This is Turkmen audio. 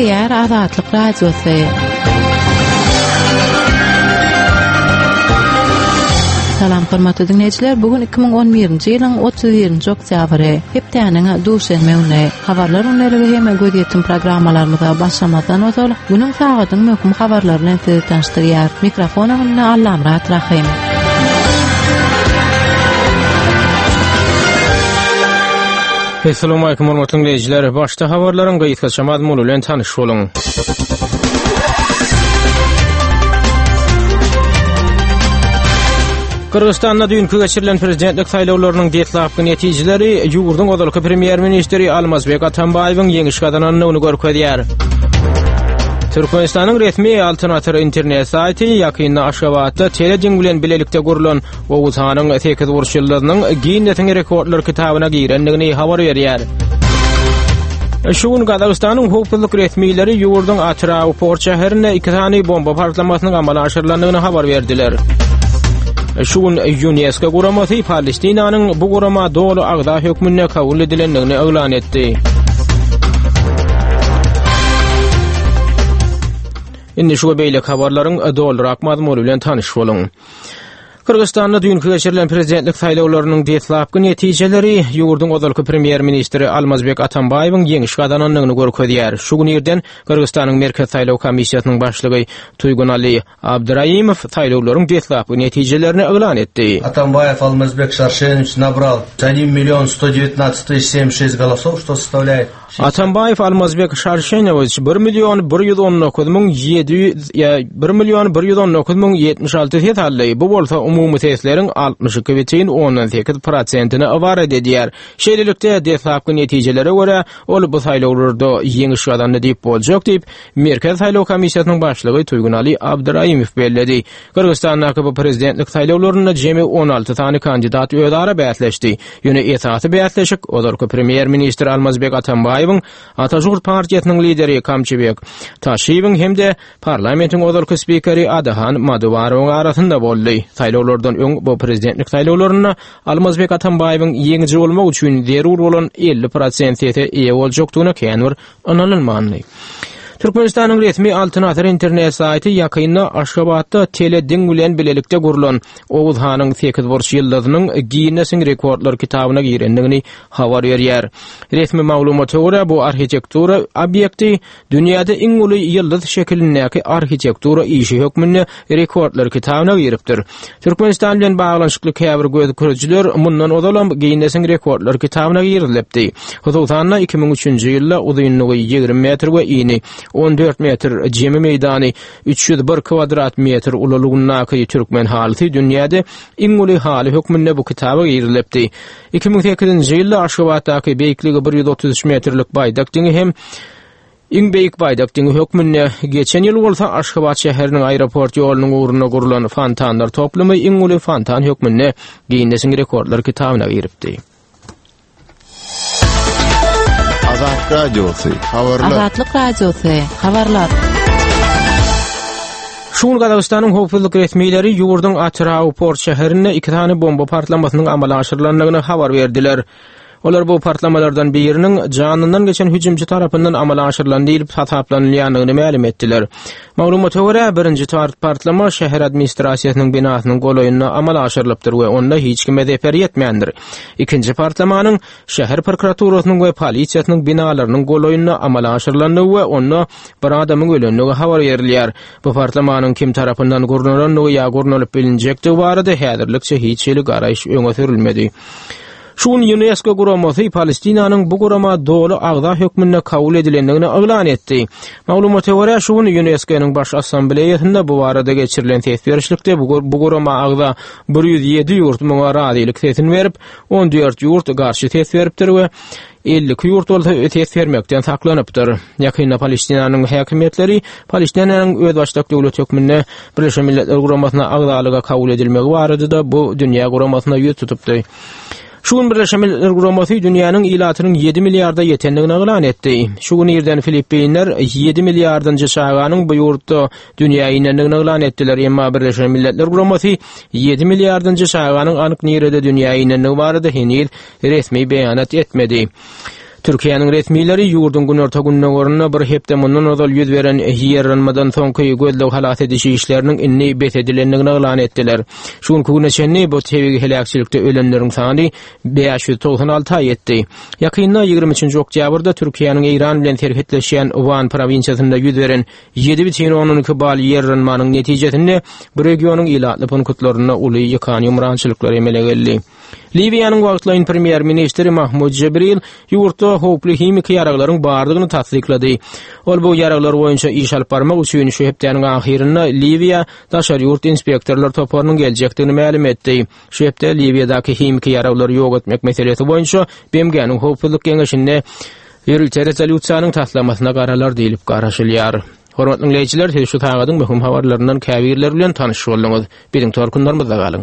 Gepleýär Azatlyk Radiosy. Salam hormatly diňleýjiler, bu gün 2011-nji ýylyň 31-nji oktýabry, hepdäniň duşenbe güni. Habarlar gündeligi hem gözýetim programmalarymyza başlamazdan ozal, günüň sagadyň möhüm habarlary bilen sizi tanyşdyrýar. Mikrofon öňünde Allamyrat Rahym. Assalamualaikum hormatly dinleýjiler. Başda habarlaryň gysgaça mazmuny bilen tanyş boluň. Gyrgyzystanda düýnki geçirilen prezidentlik saýlawlarynyň deslapky netijeleri ýurduň ozalky premýer-ministri Almazbek Atambaýewiň ýeňiş gazanandygyny görkezýär. Türkmenistanyň resmi Altyn Asyr internet saýty ýakynda Aşgabatda telediň bilen bilelikde gurlan Oguzhanyň sekizburç ýyldyzynyň Ginnesiň rekordlar kitabyna girendigini habar berýär. Şu gün Gazagystanyň howpsuzlyk resmileri ýurduň Atyrau port şäherinde iki sany bomba partlamasynyň amala aşyrylandygyny habar berdiler. Şu gün Ýunesko guramasy Palestinanyň bu gurama doly agza hökmünde kabul edilendigini yglan etdi. Indi şu we beýleki habarlaryň dolurak mazmuny bilen tanyş boluň. Gyrgyzystanda düýnki geçirilen prezidentlik saýlawlarynyň deslapky netijeleri ýurduň ozalky premýer-ministri Almazbek Atambaýewiň ýeňiş gazanandygyny görkezýär. Şu gün irden Gyrgyzystanyň Merkezi saýlaw komissiýasynyň başlygy Tuýgunali Abdyraimow saýlawlaryň deslapky netijelerini yglan etdi. Atambaýew Almazbek Şarşenowiç nabral odin million sto devetnadtsat tysyç semdeset şest golosow, şto sostavlýaet Atambaýew Almazbek Şarşenowiç bir million 119 müň 700 1 million 119 müň 76 ses aldy. Bu bolsa umumy sesleriň 62 bütin ondan 8 prosentini ybarat edýär. Şeýlelikde, deslapky netijelere görä, ol bu saýlawlarda ýeňiş gazandy diýip boljak diýip, Merkezi saýlaw komissiýasynyň başlygy Tuýgunali Abdyraimow belledi. Gyrgyzystandaky bu prezidentlik saýlawlarynda jemi 16 sany kandidat özara bäsleşdi. Ýöne esasy bäsleşik ozalky premýer-ministr Almazbek Atambaýewiň Ata-Žurt partiýasynyň lideri Kamçybek Taşiýewiň hem-de parlamentiň ozalky spikeri Adahan Madubarowyň arasynda boldy. Saýlawlardan öň bu prezidentlik saýlawlarynda Almazbek Atambaýewiň ýeňiji bolmak üçin zerur bolan 50 prosent sese eýe boljakdygyna kän bir ynanylmandy. Türkmenistanyň resmi Altyn Asyr internet saýty ýakynda Aşgabatda tele diň bilen bilelikde gurlan Oguz hanyň sekizburç ýyldyzynyň Ginnesiň rekordlar kitabyna girendigini habar berýär. Resmi maglumata görä, bu arhitektura obýekti dünýäde iň uly ýyldyz şekilindäki arhitektura işi hökmünde rekordlar kitabyna giripdir. Türkmenistan bilen baglanyşykly käbir gözükürijiler mundan ozalam Ginnesiň rekordlar kitabyna girizilipdi. Hususan-da, 2003-nji ýylda uzynlygy 20 metr we ini 14 metr, jemi meýdany 301 kwadrat metr ululygyndaky türkmen halysy dünýäde iň uly haly hökmünde bu kitaba girizilipdi. 2008-nji ýylda Aşgabatdaky beýikligi 133 metrlik Baýdak diňi hem Iň beýik baýdak diňi hökmünde, geçen ýyl bolsa Aşgabat şäheriniň aeroport ýolunyň ugrunda gurlan fontanlar toplumy iň uly fontan hökmünde Ginnesiň rekordlar kitabyna giripdi. Azat Radiosy, habarlar. Azatlyk Radiosy, habarlar. Şu gün Gazagystanyň howpsuzlyk resmileri ýurduň Atyrau port şäherinde iki sany bomba partlamasynyň amala aşyrylandygyny habar berdiler. Olar bu partlamalardan biriniň janyndan geçen hüjümçi tarapyndan amala aşyrylan diýlip hasaplanylýandygyny mälim etdiler. Maglumata görä, birinji partlama şäher administrasiýasynyň binasynyň golaýynda amala aşyrylypdyr we onda hiç kime zeper ýetmändir. Ikinji partlamanyň şäher prokuraturasynyň we polisiýasynyň binalarynyň golaýynda amala aşyrylandygy we onda bir adamyň ölendigi habar berilýär. Bu partlamanyň kim tarapyndan gurnalandygy ýa gurnalyp bilinjekdigi barada häzirlikçe hiç hili garaýyş öňe sürülmedi. Şu gün Ýunesko guramasy Palestinanyň bu gurama doly agza hökmünde kabul edilendigini yglan etdi. Maglumata görä, şu gün Ýunesko-nyň Baş Assambleýasynda bu barada geçirilen ses berişlikde bu gurama agza 107 ýurt muňa razylyk sesini berip, 14 ýurt garşy ses beripdir we 52 ýurt bolsa ses bermekden saklanypdyr. Ýakynda Palestinanyň häkimiýetleri Palestinanyň özbaşdak döwlet hökmünde Birleşen Milletler Guramasyna agzalyga kabul edilmegi barada-da bu dünýä guramasyna ýüz tutupdy. Şu gün Birleşen Milletler Guramasy dünýäniň ilatynyň 7 milliarda ýetendigini yglan etdi. Şu gün irden Filippinler 7 milliardynjy çaganyň bu ýurtda dünýä inendigini yglan etdiler, emma Birleşen Milletler Guramasy 7 milliardynjy çaganyň anyk nirede dünýä inendigi barada heniz resmi beýanat etmedi. Türkiýäniň resmileri ýurduň günorta-gündogarynda bir hepde mundan ozal ýüz beren ýerranmadan soňky gözleg-halas ediş işleriniň indi bes edilendigini yglan etdiler. Şu günki güne çenli bu tebigy heläkçilikde ölenleriň sany 596-a ýetdi. Ýakynda, 23-nji oktýabrda Türkiýäniň Eýran bilen serhetleşýän Wan prowinsiýasynda ýüz beren 7,2 bal ýerranmanyň netijesinde bu regionyň ilatly punktlarynda uly ýykan-ýumrançylyklar emele geldi. Liwiýanyň wagtlaýyn premýer-ministri Mahmud Jibril ýurtda howply himiki ýaraglaryň bardygyny tassyklady. Ol bu ýaraglar boýunça iş alyp barmak üçin şu hepdäniň ahyrynda Liwiýa daşary ýurt inspektorlar toparynyň geljekdigini mälim etdi. Şu hepde Liwiýadaky himiki ýaraglary ýok etmek meselesi boýunça BMG-niň Howpsuzlyk Geňeşinde ýörite rezolýusiýanyň taslamasyna garalar diýlip garaşylýar. Hormatly diňleýjiler, siz şu sagadyň möhüm habarlaryndan käbirleri bilen tanyş bolduňyz. Biziň tolkunlarymyzda galyň.